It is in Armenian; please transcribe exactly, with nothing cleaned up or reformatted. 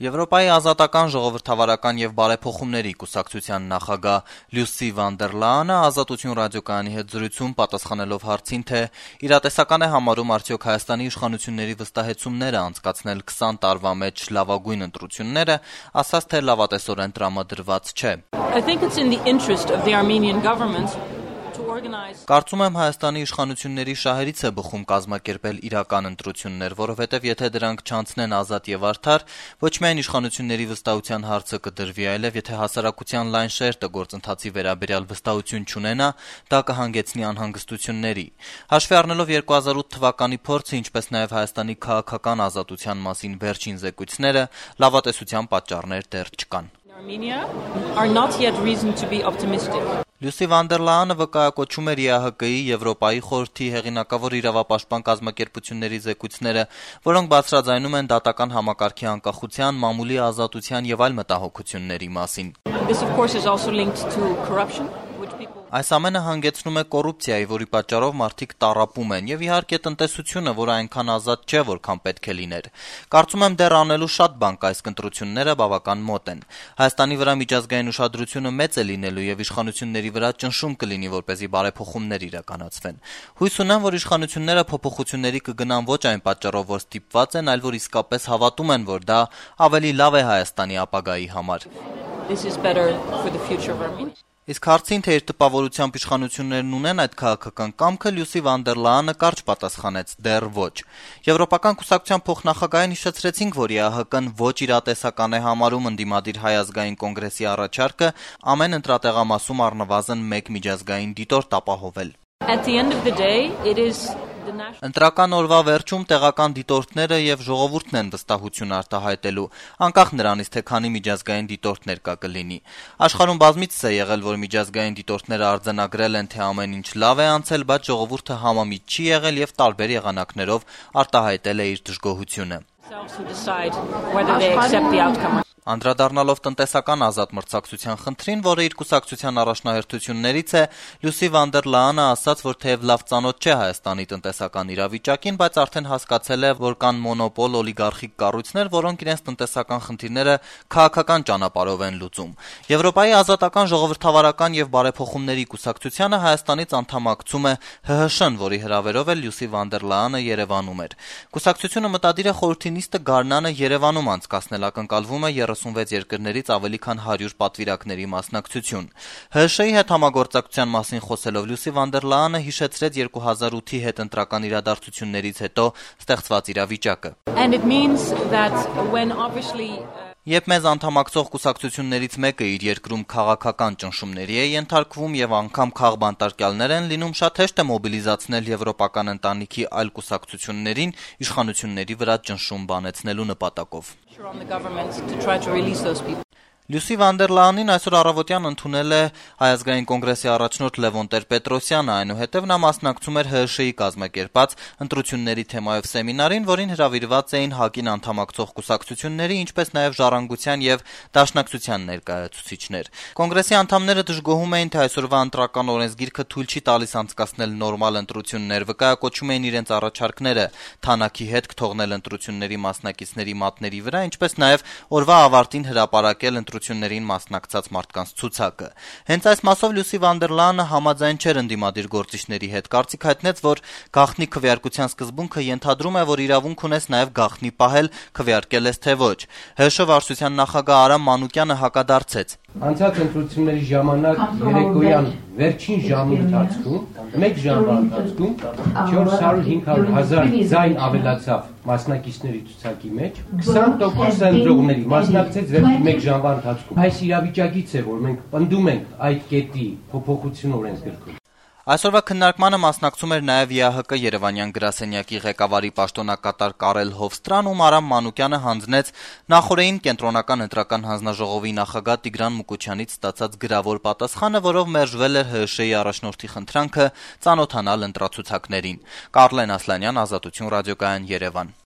Եվրոպայի ազատական, ժողովրդավարական եւ բարեփոխումների կուսակցության նախագահ Լյուսի Վան դեր Լայենը Ազատություն ռադիոկայանի հետ զրույցում պատասխանելով հարցին, թե իրատեսական է համարում արդյոք Հայաստանի իշխանությունների վստահեցումները անցկացնել քսան տարվա մեջ լավագույն ընտրությունները, ասաց, թե լավատեսորեն տրամադրված չէ. I think it's in the interest of the Armenian government. Կարծում եմ Հայաստանի իշխանությունների շահերից է բխում կազմակերպել իրական ընտրություններ, որովհետև եթե դրանք չանցնեն ազատ եւ արդար, ոչ միայն իշխանությունների վստահության հարցը կդրվի, այլև եթե հասարակության լայն շերտը գործընթացի վերաբերյալ վստահություն չունենա, դա կհանգեցնի անհանգստությունների։ Հաշվի առնելով երկու հազար ութ թվականի փորձը, ինչպես նաեւ Հայաստանի քաղաքական ազատության մասին վերջին զեկույցները, լավատեսության պատճառներ դեռ չկան. Armenia are not yet reason to be optimistic. Լյուսի Վան դեր Լայենը վկայակոչում էր Է Ահ Կ-ի, Եվրոպայի խորհրդի հեղինակավոր իրավապաշտպան կազմակերպությունների զեկույցները, որոնք բացրաձայնում են դատական համակարգի անկախության, մամուլի ազատության եւ այլ մտահոգությունների մասին. This of course is also linked to corruption. Այս ամենը հանգեցնում է կոռուպցիայի, որի պատճառով մարդիկ տառապում են, եւ իհարկե տնտեսությունը, որը այնքան ազատ չէ, որքան պետք է լիներ։ Կարծում եմ դեռ անելու շատ բան կա, այս ընտրությունները բավական մոտ են։ Հայաստանի վրա միջազգային ուշադրությունը մեծ է լինելու եւ իշխանությունների վրա ճնշում կլինի, որպեսզի բարեփոխումներ իրականացվեն։ Հույս ունեմ, որ իշխանությունները փոփոխությունների կգնան ոչ այն պատճառով, որ ստիպված են, այլ որ իսկապես հավատում են, որ դա ավելի լավ է Հայաստանի ապագայի համար։ This is better for the future of Armenia. Իսկ հարցին, թե իր տպավորությամբ իշխանություններն ունեն այդ քաղաքական կամքը, Լյուսի Վան դեր Լայենը կարճ պատասխանեց. դեռ ոչ։ Եվրոպական կուսակցության փոխնախագահին հիշեցրեցինք, որ Է Ահ Կ-ն ոչ իրատեսական է համարում ընդդիմադիր Հայ ազգային կոնգրեսի առաջարկը ամեն ընտրատեղամասում առնվազն մեկ միջազգային դիտորդ ապահովել. At the end of the day, it is Ընտրական օրվա վերջում տեղական դիտորդները եւ ժողովուրդն են վստահություն արտահայտելու, անկախ նրանից, թե քանի միջազգային դիտորդներ կա կլինի։ Աշխարհում բազմիցս է եղել, որ միջազգային դիտորդները արձանագրել են, թե ամեն ինչ լավ է անցել, բայց ժողովուրդը համամիտ չի եղել եւ տարբեր եղանակներով արտահայտել է իր դժգոհությունը։ Անդրադառնալով տնտեսական ազատ մրցակցության խնդրին, որը իր կուսակցության առաջնահերթություններից է, Լյուսի Վան դեր Լայենը ասաց, որ թեև լավ ծանոթ չէ Հայաստանի տնտեսական իրավիճակին, բայց արդեն հասկացել է, որ կան մոնոպոլ օլիգարխիկ կառույցներ, որոնք իրենց տնտեսական խնդիրները քաղաքական ճանապարհով են լուծում։ Եվրոպայի ազատական, ժողովրդավարական եւ բարեփոխումների կուսակցությանը Հայաստանից անդամակցում է Հ Հ Շ-ն, որի հրավերով էլ Լյուսի Վան դեր Լայենը Երևանում էր։ Կուսակցությունը մտադիր է խորհրդի նիստը գարնանը Երևանում անցկացնել, ակնկալվում է երեսունվեց երկրներից ավելի քան հարյուր պատվիրակների մասնակցություն։ Հ Շ-ի հետ համագործակցության մասին խոսելով Լյուսի Վան դեր Լայենը հիշեցրեց երկու հազար ութի հետընտրական իրադարձություններից հետո ստեղծված իրավիճակը. And it means that when obviously Երբ մեզ անդամակցող կուսակցություններից մեկը իր երկրում քաղաքական ճնշումների է ենթարկվում եւ անգամ քաղբանտարկյալներ են լինում, շատ հեշտ է մոբիլիզացնել եվրոպական ընտանիքի այլ կուսակցություններին իշխանությունների վրա ճնշում բանեցնելու նպատակով։ Լյուսի Վան դեր Լայենին այսօր առավոտյան ընդունել է Հայ ազգային կոնգրեսի առաջնորդ Լևոն Տեր-Պետրոսյանը, այնուհետև նա մասնակցում էր Հ Շ-ի կազմակերպած ընտրությունների թեմայով սեմինարին, որին հրավիրված էին ՀԱԿ-ին անդամակցող կուսակցությունների, ինչպես նաև Ժառանգության եւ Դաշնակցության ներկայացուցիչներ։ Կոնգրեսի անդամները դժգոհում էին, թե այսօրվա ընտրական օրենսգիրքը թույլ չի տալիս անցկացնել նորմալ ընտրություններ, վկայակոչում էին իրենց առաջարկները թանաքի հետ կթողնել ընտրությունների մասնակիցների մատների վրա, ինչպես նաև օրվա ավարտին հրապարակել ընտրություններին մասնակցած մարդկանց ցուցակը։ Հենց այս մասով Լյուսի Վան դեր Լայենը համաձայն չէր ընդդիմադիր գործիչների հետ, կարծիք հայտնեց, որ գաղտնի քվեարկության սկզբունքը ենթադրում է, որ իրավունք ունես նաև գաղտնի պահել, քվեարկել ես թե ոչ։ Հ Շ վարչության նախագահ Արամ Մանուկյանը հակադարձեց. Անցած ընտրությունների ժամանակ երեկոյան վերջին ժամի ընթացքում մեկ ժամվա ընթացքում չորս հարյուր հինգ հազար ձայն ավելացավ մասնակիցների ցուցակի մեջ, քսան տոկոս ընտրողների մասնակցեց վերջին մեկ ժամվա ընթացքում։ Այս իրավիճակից է, որ մենք պնդում ենք այդ կետի փոփոխություն օրենսգրքում։ Այսօրվա քննարկմանը մասնակցում էր նաև Է Ահ Կ Երևանյան գրասենյակի ղեկավարի պաշտոնակատար Կարել Հովստրան, ում Արամ Մանուկյանը հանձնեց նախորդին կենտրոնական ընտրական հանձնաժողովի նախագահ Տիգրան Մուկուչյանից ստացած գրավոր պատասխանը, որով մերժվել էր Հ Շ-ի առաջնորդի խնդրանքը ծանոթանալ ընտրացուցակներին։ Կարլեն Ասլանյան, Ազատություն ռադիոկայան, Երևան։